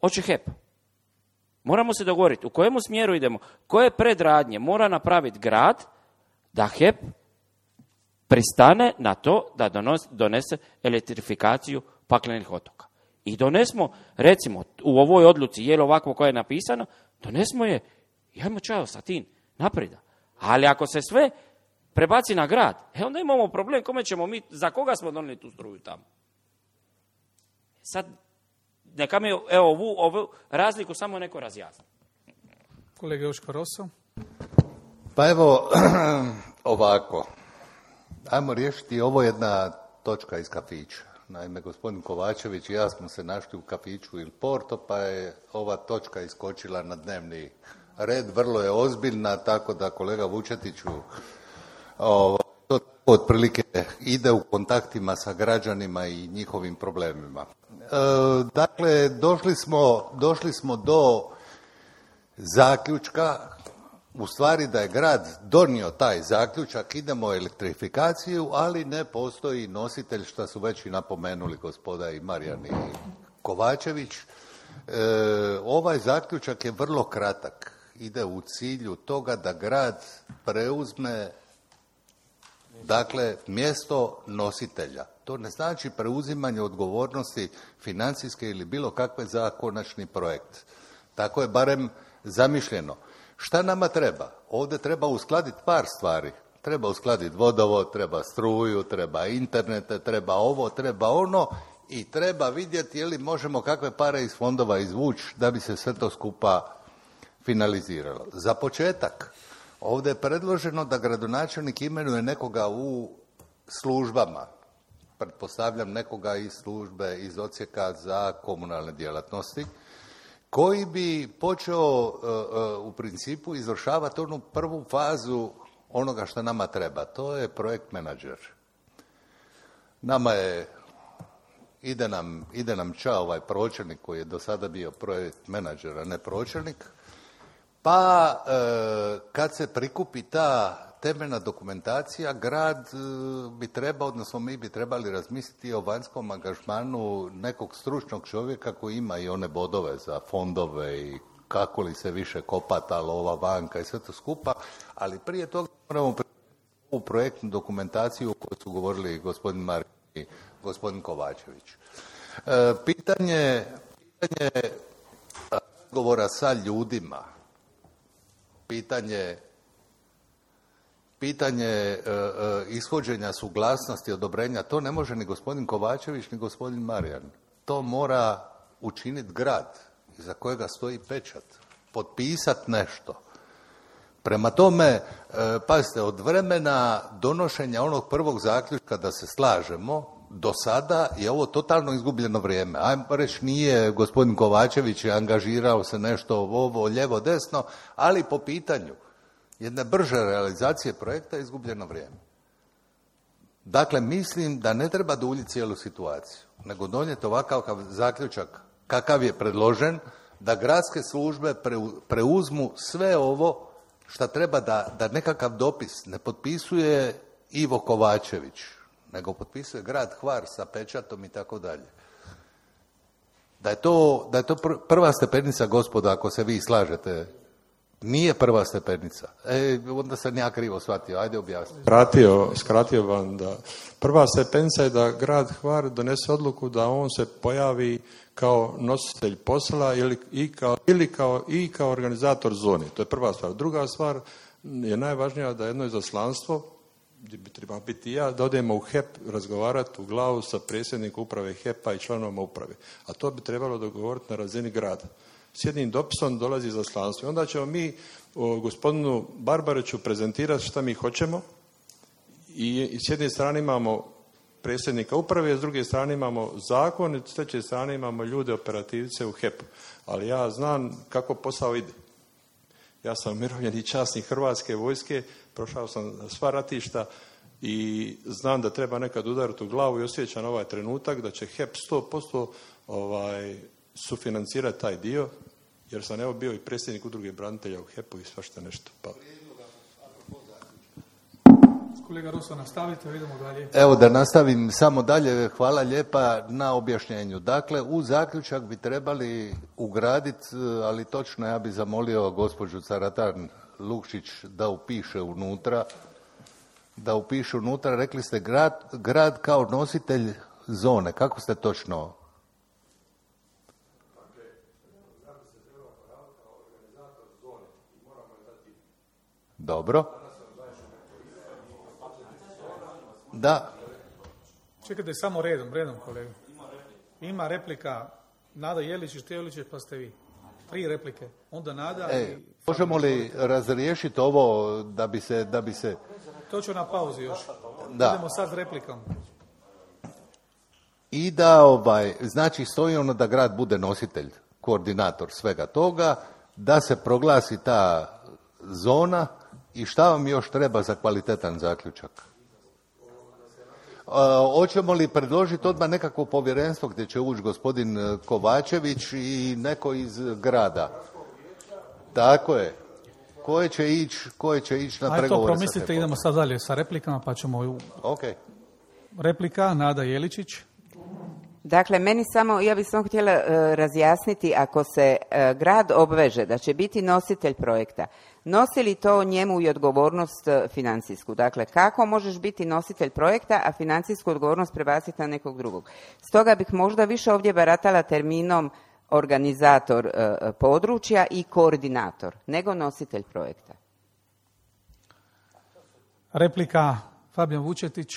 hoće H E P. Moramo se dogovoriti u kojemu smjeru idemo, koje predradnje mora napraviti grad da H E P pristane na to da donos, donese elektrifikaciju paklenih otoka. I donesmo, recimo, u ovoj odluci, je li ovako koja je napisana, donesmo je, jajmo čao, satin, napreda. Ali ako se sve prebaci na grad, e onda imamo problem, kome ćemo mi, za koga smo donijeli tu struju tamo? Sad, neka mi, evo, ovu, ovu razliku samo neko razjasni. Kolega Joško Rosso. Pa evo, ovako, ajmo riješiti, ovo jedna točka iz kafića. Naime, gospodin Kovačević i ja smo se našli u kafiću Il Porto, pa je ova točka iskočila na dnevni red, vrlo je ozbiljna, tako da kolega Vučetiću ovo, to otprilike ide u kontaktima sa građanima i njihovim problemima. E, dakle, došli smo, došli smo do zaključka, u stvari da je grad donio taj zaključak, idemo u elektrifikaciju, ali ne postoji nositelj, što su već i napomenuli gospoda i Marijan i Kovačević. E, ovaj zaključak je vrlo kratak, ide u cilju toga da grad preuzme, dakle, mjesto nositelja. To ne znači preuzimanje odgovornosti financijske ili bilo kakve za konačni projekt. Tako je barem zamišljeno. Šta nama treba? Ovdje treba uskladiti par stvari. Treba uskladiti vodovod, treba struju, treba internete, treba ovo, treba ono i treba vidjeti je li možemo kakve pare iz fondova izvući da bi se sve to skupa finaliziralo. Za početak, ovdje je predloženo da gradonačelnik imenuje nekoga u službama. Pretpostavljam nekoga iz službe, iz odsjeka za komunalne djelatnosti, koji bi počeo uh, uh, u principu izvršavati onu prvu fazu onoga što nama treba. To je projekt menadžer. Nama je, ide nam, ide nam ča ovaj pročelnik koji je do sada bio projekt menadžer, a ne pročelnik. Pa uh, kad se prikupi ta temeljna dokumentacija, grad bi trebao, odnosno mi bi trebali razmisliti o vanjskom angažmanu nekog stručnog čovjeka koji ima i one bodove za fondove i kako li se više kopa ta lova vanka i sve to skupa, ali prije toga moramo u projektnu dokumentaciju o kojoj su govorili gospodin Marko i gospodin Kovačević. E, pitanje, pitanje razgovora sa ljudima, pitanje Pitanje e, e, ishođenja suglasnosti, odobrenja, to ne može ni gospodin Kovačević, ni gospodin Marijan. To mora učiniti grad, iza kojega stoji pečat, potpisati nešto. Prema tome, e, pazite, od vremena donošenja onog prvog zaključka da se slažemo, do sada je ovo totalno izgubljeno vrijeme. Ajmo reći, nije gospodin Kovačević angažirao se nešto ovo, lijevo, desno, ali po pitanju jedne brže realizacije projekta je izgubljeno vrijeme. Dakle, mislim da ne treba duljiti cijelu situaciju, nego donijeti ovakav zaključak kakav je predložen, da gradske službe preuzmu sve ovo šta treba da, da nekakav dopis ne potpisuje Ivo Kovačević, nego potpisuje grad Hvar sa pečatom i tako dalje. Da je to, da je to pr- prva stepenica, gospodo, ako se vi slažete. Nije prva stepenica. E, onda sam ja krivo shvatio. Ajde objasniti. Skratio, skratio vam da prva stepenica je da grad Hvar donese odluku da on se pojavi kao nositelj posla ili i kao, ili kao, i kao organizator zone. To je prva stvar. Druga stvar je najvažnija da jedno izaslanstvo, gdje bi trebao biti ja, da odemo u H E P razgovarati u glavu sa predsjednikom uprave H E P-a i članovima uprave. A to bi trebalo dogovoriti na razini grada. S jednim dopisom dolazi izaslanstvo. I onda ćemo mi o, gospodinu Barbariću prezentirati šta mi hoćemo i, i s jedne strane imamo predsjednika uprave, s druge strane imamo zakon i s treće strane imamo ljude operativce u H E P-u. Ali ja znam kako posao ide. Ja sam umirovljeni časnik Hrvatske vojske, prošao sam sva ratišta i znam da treba nekad udariti u glavu i osjećam ovaj trenutak da će H E P sto posto ovaj, sufinancirati taj dio, jer sam evo bio i predsjednik udruge branitelja u H E P-u i svašta nešto. Pa. Kolega Ruso, nastavite, vidimo dalje. Evo da nastavim samo dalje, hvala lijepa na objašnjenju. Dakle, u zaključak bi trebali ugraditi, ali točno ja bi zamolio gospođu Caratan Lukšić da upiše unutra, da upiše unutra, rekli ste grad, grad kao nositelj zone, kako ste točno? Dobro. Da. Čekajte samo redom, redom kolega. Ima replika Nada Jelić, Števlić, pa ste vi. Tri replike. Onda Nada e, i... Možemo li razriješiti ovo da bi se... Da bi se... To ću na pauzi još. Da. Idemo sad s replikom. I da, ovaj, znači stoji ono da grad bude nositelj, koordinator svega toga, da se proglasi ta zona i šta vam još treba za kvalitetan zaključak? Uh, hoćemo li predložiti odmah nekakvo povjerenstvo gdje će ući gospodin Kovačević i neko iz grada? Tako je. Koje će ići, koje će ići na Ajde pregovore to promislite, sa idemo sad dalje sa replikama pa ćemo... U... Ok. Replika, Nada Jeličić. Dakle, meni samo, ja bih samo htjela uh, razjasniti, ako se uh, grad obveže da će biti nositelj projekta, nosi li to njemu i odgovornost uh, financijsku? Dakle, kako možeš biti nositelj projekta, a financijsku odgovornost prebaciti na nekog drugog? Stoga bih možda više ovdje baratala terminom organizator uh, područja i koordinator, nego nositelj projekta. Replika, Fabijan Vučetić.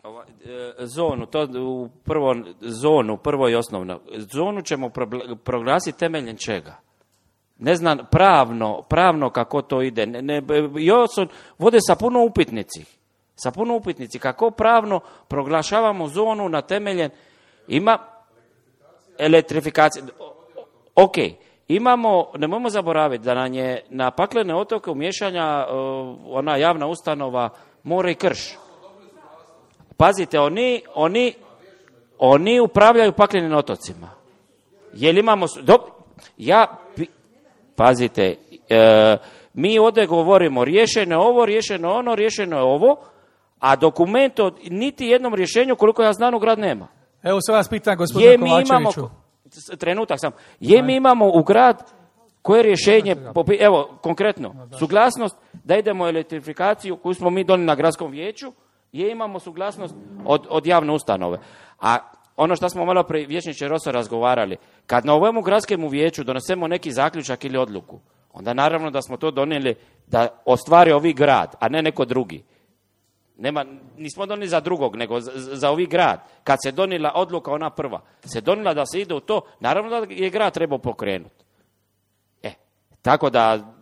Ova, e, zonu, to u prvo, zonu, prvo i osnovno. Zonu ćemo proglasiti temeljem čega? Ne znam pravno, pravno kako to ide. Ne, ne, još vode sa puno upitnici. Sa puno upitnici. Kako pravno proglašavamo zonu na temeljem... Ima elektrifikacija. Ok, imamo, nemojmo zaboraviti da nam je na paklene otoke umješanja uh, ona javna ustanova More i Krš. Pazite, oni, oni, oni upravljaju paklenim otocima. Jel imamo... Do, ja, pazite, e, mi ovdje govorimo riješeno je ovo, riješeno je ono, riješeno je ovo, a dokument od niti jednom rješenju, koliko ja znam, u grad nema. Evo se vas pitam, gospodine Kovačeviću. Imamo, trenutak sam. Je mi imamo u grad koje rješenje, evo, konkretno, suglasnost da idemo u elektrifikaciju koju smo mi donijeli na gradskom vijeću, je imamo suglasnost od, od javne ustanove. A ono što smo malo prije vijećniče Rosa razgovarali, kad na ovome gradskom vijeću donesemo neki zaključak ili odluku, onda naravno da smo to donijeli da ostvari ovi grad, a ne neko drugi. Nema, nismo donijeli za drugog, nego za, za ovi grad. Kad se donijela odluka, ona prva, se donijela da se ide u to, naravno da je grad trebao pokrenuti. E, tako da,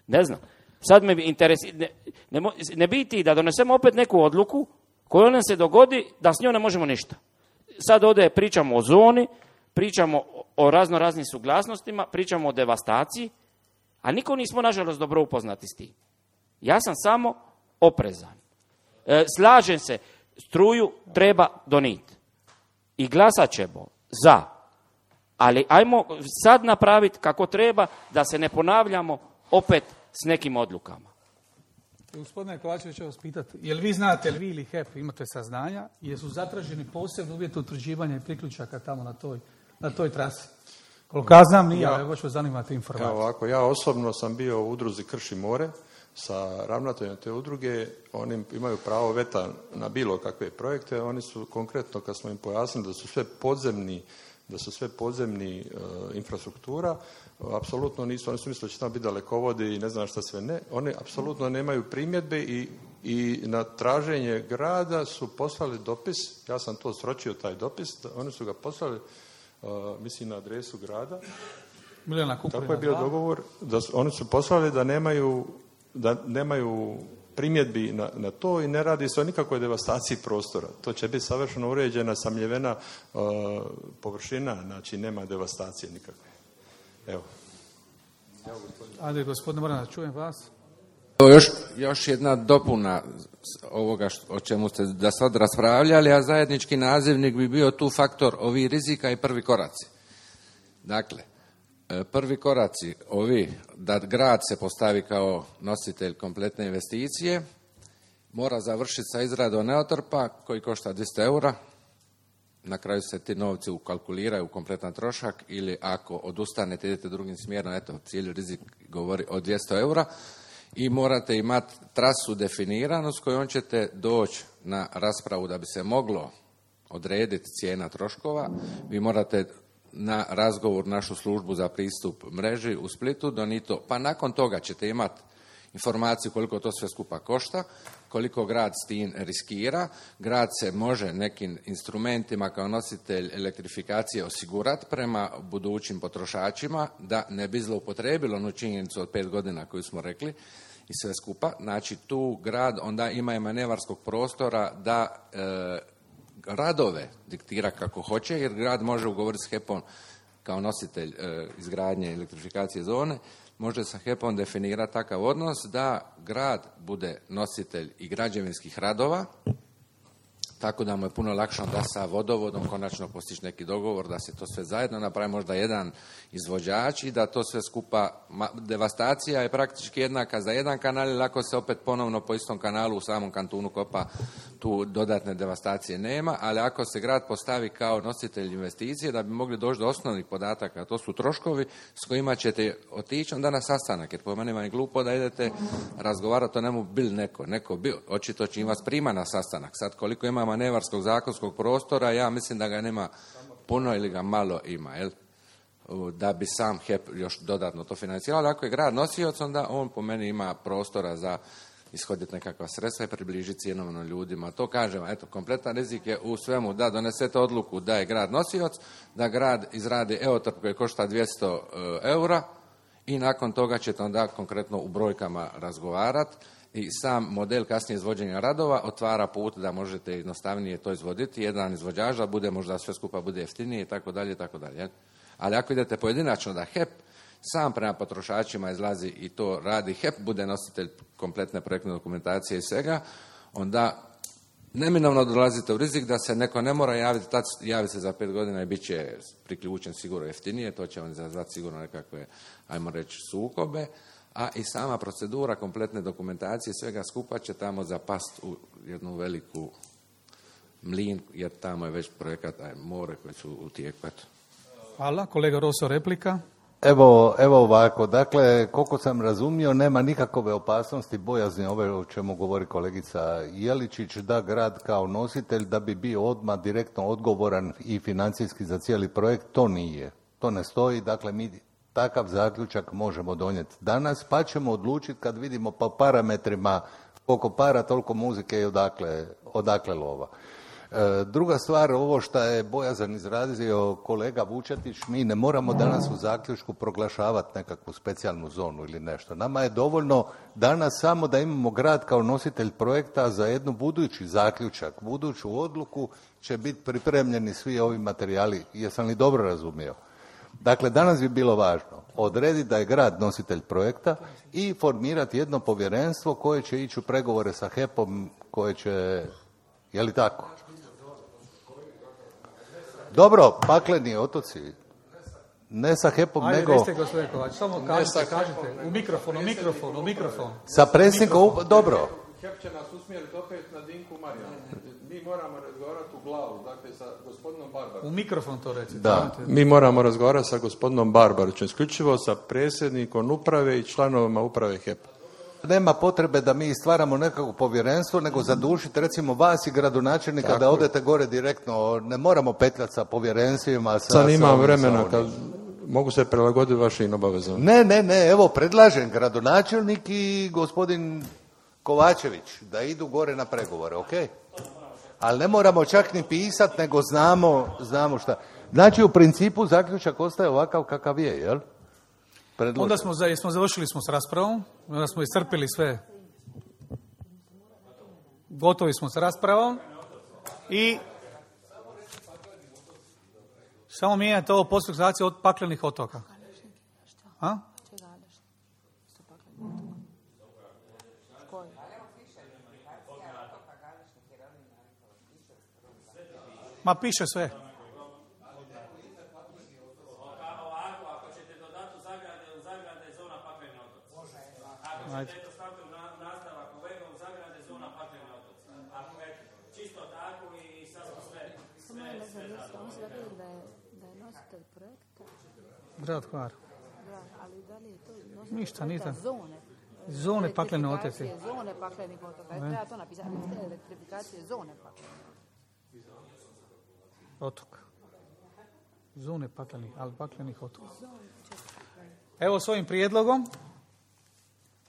ne znam, sad me interesi, ne, ne, ne biti da donesemo opet neku odluku koju nam se dogodi da s njom ne možemo ništa. Sad ovdje pričamo o zoni, pričamo o razno raznim suglasnostima, pričamo o devastaciji, a niko nismo nažalost dobro upoznati s tim. Ja sam samo oprezan. E, slažem se, struju treba donijeti. I glasat ćemo za. Ali ajmo sad napraviti kako treba da se ne ponavljamo opet s nekim odlukama. Gospodine Kovačević, ću vas pitati, jel vi znate, jel vi ili H E P imate saznanja, jesu zatraženi posebni uvjeti utvrđivanja i priključaka tamo na toj, na toj trasi? Koliko ja znam, nije, ali baš vas zanimate informacije. Evo ovako, ja osobno sam bio u udruzi Krš i more sa ravnateljem te udruge. Oni imaju pravo veta na bilo kakve projekte. Oni su konkretno, kad smo im pojasnili da su sve podzemni, da su sve podzemni e, infrastruktura, apsolutno nisu, oni su mislili da će tamo biti dalekovodi i ne znam šta sve ne. Oni apsolutno nemaju primjedbe i, i na traženje grada su poslali dopis, ja sam to sročio taj dopis, oni su ga poslali, uh, mislim, na adresu grada. Milijana Kuprina, tako je bio dogovor, da su, oni su poslali da nemaju, da nemaju primjedbi na, na to i ne radi se o nikakvoj devastaciji prostora. To će biti savršeno uređena, samljevena uh, površina, znači nema devastacije nikakve. Evo. Ajde, gospodine, moram da čujem vas. Još, još jedna dopuna ovoga što, o čemu ste da sad raspravljali, a zajednički nazivnik bi bio tu faktor ovi rizika i prvi koraci. Dakle, prvi koraci ovi, da grad se postavi kao nositelj kompletne investicije, mora završiti sa izradom neotrpa koji košta dvjesto eura. Na kraju se ti novci ukalkuliraju u kompletan trošak ili ako odustanete, idete drugim smjerom, eto, cijeli rizik govori o dvjesto eura i morate imati trasu definiranu s kojom ćete doći na raspravu da bi se moglo odrediti cijena troškova. Vi morate na razgovor našu službu za pristup mreži u Splitu donito, pa nakon toga ćete imati informaciju koliko to sve skupa košta, koliko grad s tim riskira. Grad se može nekim instrumentima kao nositelj elektrifikacije osigurati prema budućim potrošačima da ne bi zloupotrebilo onu činjenicu od pet godina koju smo rekli i sve skupa. Znači tu grad onda ima i manevarskog prostora da e, radove diktira kako hoće, jer grad može ugovoriti s H E P-om kao nositelj e, izgradnje elektrifikacije zone, može sa H E P-om definirati takav odnos da grad bude nositelj i građevinskih radova, tako da mu je puno lakše da sa vodovodom konačno postići neki dogovor, da se to sve zajedno napravi, možda jedan izvođač i da to sve skupa, devastacija je praktički jednaka za jedan kanal, ili ako se opet ponovno po istom kanalu u samom kantunu kopa, tu dodatne devastacije nema, ali ako se grad postavi kao nositelj investicije, da bi mogli doći do osnovnih podataka, to su troškovi s kojima ćete otići onda na sastanak, jer po meni vam je glupo da idete razgovarati o nemu bil neko, neko bil, očito će im vas prima na sastanak. Sad koliko ima manevarskog zakonskog prostora, ja mislim da ga nema puno ili ga malo ima, jel? Da bi sam H E P još dodatno to financirao. Ako je grad nosioc, onda on po meni ima prostora za ishoditi nekakva sredstva i približiti cijenovno ljudima. To kažem, eto, kompletan rizik je u svemu da donesete odluku da je grad nosioc, da grad izradi eotrp koji košta dvjesto eura i nakon toga ćete onda konkretno u brojkama razgovarati. I sam model kasnije izvođenja radova otvara put da možete jednostavnije to izvoditi. Jedan izvođač da bude možda sve skupa bude jeftinije i tako dalje i tako dalje. Ali ako idete pojedinačno da H E P sam prema potrošačima izlazi i to radi, H E P bude nositelj kompletne projektne dokumentacije i svega, onda neminovno dolazite u rizik da se neko ne mora javiti, tad javi se za pet godina i bit će priključen sigurno jeftinije, to će on izazvati sigurno nekakve, ajmo reći, sukobe. A i sama procedura kompletne dokumentacije svega skupa će tamo zapast u jednu veliku mlin, jer tamo je već projekat aj, more koji su u tijeku. Hvala. Kolega Roso, replika. Evo, evo ovako, dakle, koliko sam razumio, nema nikakove opasnosti, bojazni ove o čemu govori kolegica Jeličić, da grad kao nositelj da bi bio odmah direktno odgovoran i financijski za cijeli projekt, to nije. To ne stoji, dakle, mi takav zaključak možemo donijeti danas, pa ćemo odlučiti kad vidimo po parametrima koliko para, toliko muzike i odakle, odakle lova. E, druga stvar, ovo što je bojazan izrazio kolega Vučetić, mi ne moramo danas u zaključku proglašavati nekakvu specijalnu zonu ili nešto. Nama je dovoljno danas samo da imamo grad kao nositelj projekta za jednu budući zaključak, buduću odluku će biti pripremljeni svi ovi materijali. Jesam li dobro razumio? Dakle, danas bi bilo važno odrediti da je grad nositelj projekta i formirati jedno povjerenstvo koje će ići u pregovore sa H E P-om, koje će, je li tako? Dobro, pakleni otoci. Ne sa HEP-om, Ajde, nego recite, gospodine Kovač, samo kažite, kažite, u mikrofon, u mikrofon, u mikrofon. sa predsjednikom, up- dobro. HEP će nas usmjeriti opet na Dinku Marijanu. Mi moramo razgovarati u glavu, dakle sa gospodinom Barbarom. U mikrofon to recite. Da. Mi moramo razgovarati sa gospodinom Barbarićem, isključivo sa predsjednikom uprave i članovima uprave HEP-a. Nema potrebe da mi stvaramo nekako povjerenstvo, nego zadušiti recimo vas i gradonačelnika Tako da je. odete gore direktno. Ne moramo petljati sa povjerenstvima. Sa, Sad sa imam ovim, vremena sa kad onim. mogu se prilagoditi vašim obavezama. Ne, ne, ne, evo predlažem gradonačelnik i gospodin Kovačević da idu gore na pregovore, ok? Ali ne moramo čak ni pisati, nego znamo, znamo šta. Znači u principu zaključak ostaje ovakav kakav je, jel? Predložen. Onda smo, za- smo završili smo s raspravom, onda smo iscrpili sve. Gotovi smo s raspravom i samo mijenjate ovo postupak sanacije od paklenih otoka. A? Ma piše sve. Ovako, ako ćete dodati u zagrade, u zagrade je zona pakleni otoci. Ako Ajde. ćete to staviti u na- nastavak ovega, u zagrade je zona pakleni otoci. Ako je čisto tako i sad smo sve, sve, sve zadovoljni. Oni su rekli da je, da je nositelj projekta, Grad Hvar. da, ali da li je to nositelj Ništa, projekta nisam. zone? Zone paklene otoci. Elektrifikacije Zone paklenih otoka. Treba to napisati. Elektrifikacije zone paklenih. Otok. Zone paklenih, ali paklenih otoka. Evo s ovim prijedlogom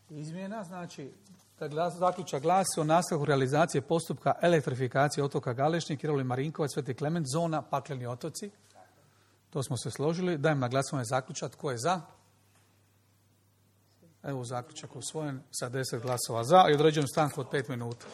izmjena, znači da glas, zaključak glasi o nastavku realizacije postupka elektrifikacije otoka Galešnik, Kiroli Marinkovac, Sveti Klement, zona pakleni otoci. To smo se složili. Dajem na glasovanje zaključak. Tko je za? Evo zaključak usvojen sa deset glasova za i određujem stanku od pet minuta.